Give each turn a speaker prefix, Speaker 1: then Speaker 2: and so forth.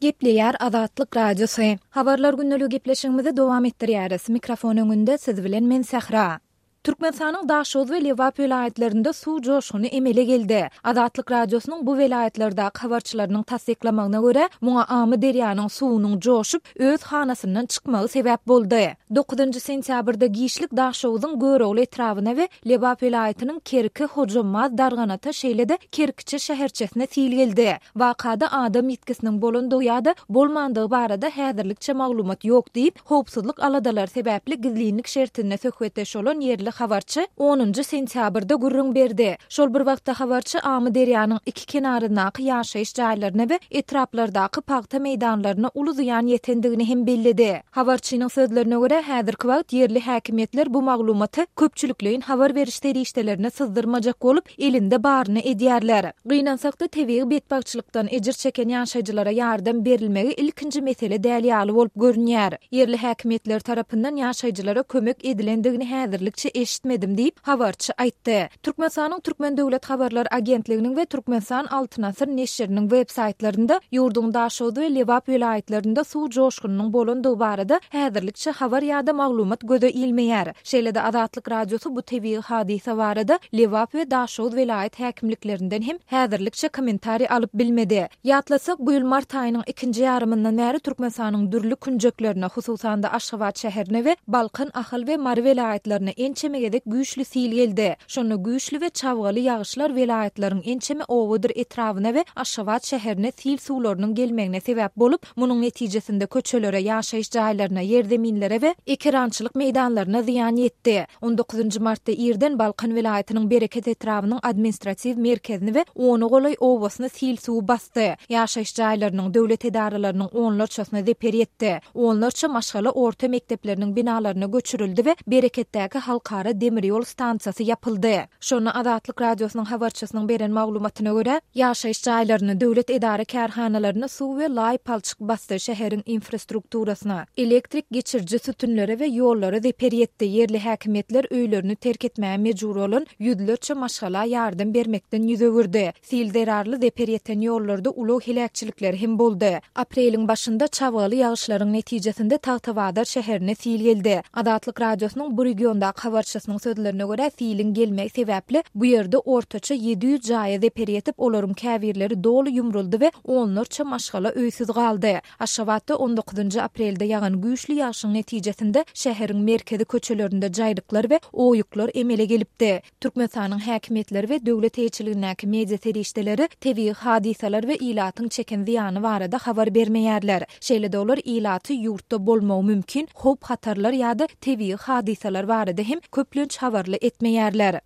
Speaker 1: Gepleýär Azatlyk Radiosy. Habarlar gündeligi gepleşigimizi dowam etdirýäris. Mikrofon öňünde siz bilen men Sähra. Türkmenistanyň Daşoguz we Lebap welaýatlarynda suw joşguny emele geldi. Azatlyk Radiosynyň bu welaýatlardaky habarçylarynyň tassyklamagyna görä, muňa Amyderýanyň suwunyň joşup, öz hanasyndan çykmagy sebäp boldy. Dokuzynjy sentýabrda giçlik Daşoguzyň Görogly etrabyna we Lebap welaýatynyň Kerki, Hojambaz, Darganata, şeýle-de Kerkiçe şäherçesine sil geldi. Wakada adam ýitgisiniň bolandygy ýa-da bolmandygy barada häzirlikçe maglumat ýok diýip, howpsuzlyk aladalary sebäpli gizlinlik şertinde söhbetdeş bolan ýerli habarçy onunjy sentýabrda gürrüň berdi. Şol bir wagtda habarçy Amyderýanyň iki kenaryndaky ýaşaýyş jaýlaryna we etraplardaky pagta meýdanlaryna uly zyýan ýetendigini hem belledi. Habarçynyň sözlerine görä, häzirki wagt ýerli häkimiýetler bu maglumaty köpçülikleýin habar beriş serişdelerine syzdyrmajak bolup, elinde baryny edýärler. Gynansakda, tebigy betbagtçylykdan ejir çeken ýaşaýjylara ýardam berilmegi ilkinji mesele däl ýaly bolup görünýär. Ýerli häkimiýetler tarapyndan ýaşaýjylara kömek edilendigini häzirlikçe eşitmedim diýip, habarçy aýtdy. Türkmenistanyň Türkmen döwlet habarlar agentliginiň we Türkmenistan Altyn asyr neşiriniň web saýtlarynda ýurduň Daşoguz we Lebap welaýatlarynda suw joşgunynyň bolandygy barada häzirlikçe habar ýa-da maglumat göze ilmeýär. Şeýle-de Azatlyk Radiosy bu tebigy hadysa barada Lebap we Daşoguz welaýat häkimliklerinden hem häzirlikçe kommentariý alyp bilmedi. Ýatlatsak, bu ýyl mart aýynyň ikinji ýarymyndan bäri Türkmenistanyň dürli künjeklerine, hususan-da Aşgabat şäherine we Balkan, Ahal we Mary welaýatlaryna ençeme gezek güýçli sil geldi. Şonda güýçli we çabgaly ýagyşlar welaýatlaryň ençeme obadyr etrabyna we Aşgabat şäherine sil suwlarynyň gelmegine sebäp bolup, Munuň netijesinde köçelere, ýaşaýyş jaýlaryna, ýerzeminlere we ekerançylyk meýdanlaryna zyýan ýetdi. On dokuzynjy martda irden Balkan welaýatynyň Bereket etrabynyň administratiw merkezini we ona golaý obasyny sil suwy basdy. Ýaşaýyş jaýlarynyň, döwlet edaralarynyň onlarçasyna zeper ýetdi. Onlarça maşgala orta mekdepleriniň binalaryna göçürildi we Bereketdäki halkara demir ýol stansiýasy ýapyldy. Şonda Azatlyk Radiosynyň habarçysynyň beren maglumatyna görä, ýaşaýyş jaýlaryny, döwlet edara-kärhanalaryny suw we laý palçyk basdy, şäheriň infrastrukturasyna, elektrik geçiriji sütünlere we ýollara zeper ýetdi, ýerli häkimiýetler öýlerini terk etmäge mejbur bolan ýüzlerçe maşgala ýardam bermekden ýüz öwürdi. Sil zerarly zeper ýeten ýollarda ulag heläkçilikleri hem boldy. Apreliň başynda çabgaly ýagyşlaryň netijesinde Tagtabazar şäherine sil geldi. Azatlyk Radiosynyň bu regiondaky habarçysynyň sözlerine görä, siliň gelmegi sebäpli bu ýerde ortaça 700 jaýa zeper ýetip, olaryň käbirleri doly ýumruldy we onlarça maşgala öýsüz galdy. Aşgabatda on dokuzynjy aprelde ýagan güýçli ýagşyň netijesinde şäheriň merkezi köçelerinde jaýryklar we oýuklar emele gelipdi. Türkmenistanyň häkimiýetleri we döwlet eýeçiligindäki media serişdeleri tebigy hadysalar we ilatyň çeken zyýany barada habar bermeýärler. Şeýle-de olar ilaty ýurtda bolmagy mümkin howp-hatarlar ýa-da tebigy hadysalar barada hem köplenç habarly etmeýärler.